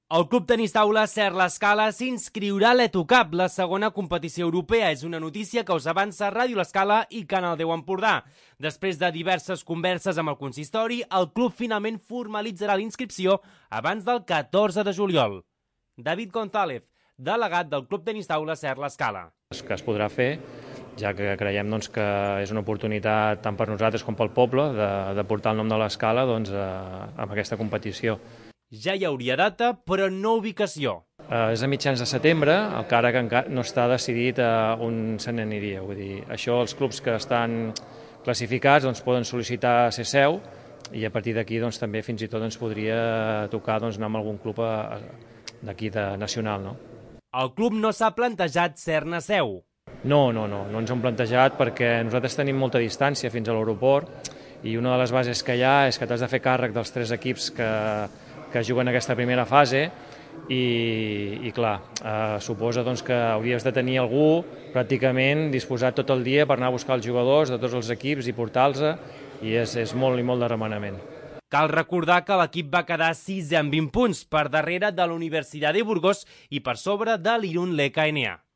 El Club Tenis Taula Ser l'Escala s'inscriurà a l'EtoCup, la segona competició europea. És una notícia que us avança Ràdio l'Escala i Canal 10 Empordà. Després de diverses converses amb el consistori, el club finalment formalitzarà la inscripció abans del 14 de juliol. David González, delegat del Club Tenis Taula Ser l'Escala. Que es podrà fer, ja que creiem que és una oportunitat tant per nosaltres com pel poble de portar el nom de l'Escala amb aquesta competició. Ja hi hauria data, però no ubicació. És a mitjans de setembre, encara que encara no està decidit on se n'aniria. Vull dir, això els clubs que estan classificats poden sol·licitar ser seu i a partir d'aquí també fins i tot ens podria tocar anar amb algun club d'aquí nacional. No? El club no s'ha plantejat ser-ne seu. No ens ho hem plantejat perquè nosaltres tenim molta distància fins a l'aeroport i una de les bases que hi ha és que t'has de fer càrrec dels 3 equips que juguen aquesta primera fase i clar, suposa que hauries de tenir algú pràcticament disposat tot el dia per anar a buscar els jugadors de tots els equips i portar-los i és molt i molt de remenament. Cal recordar que l'equip va quedar 6è amb 20 punts per darrere de la Universitat de Burgos i per sobre de l'Irun LKNA.